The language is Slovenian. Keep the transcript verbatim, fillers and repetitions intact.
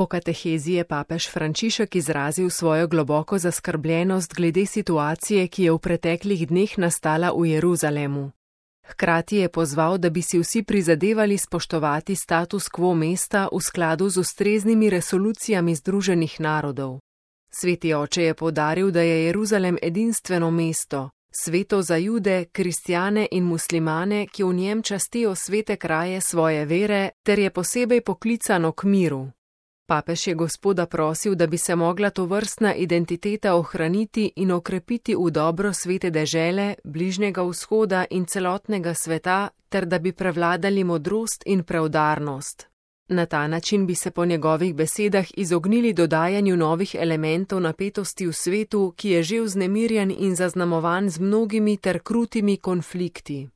Po katehezi je papež Frančišek izrazil svojo globoko zaskrbljenost glede situacije, ki je v preteklih dneh nastala v Jeruzalemu. Hkrati je pozval, da bi si vsi prizadevali spoštovati status quo mesta v skladu z ustreznimi resolucijami Združenih narodov. Sveti oče je poudaril, da je Jeruzalem edinstveno mesto, sveto za Jude, kristjane in muslimane, ki v njem častijo svete kraje svoje vere, ter je posebej poklicano k miru. Papež je Gospoda prosil, da bi se mogla tovrstna identiteta ohraniti in okrepiti v dobro svete dežele, Bližnjega vzhoda in celotnega sveta, ter da bi prevladali modrost in preudarnost. Na ta način bi se po njegovih besedah izognili dodajanju novih elementov napetosti v svetu, ki je že vznemirjen in zaznamovan z mnogimi ter krutimi konflikti.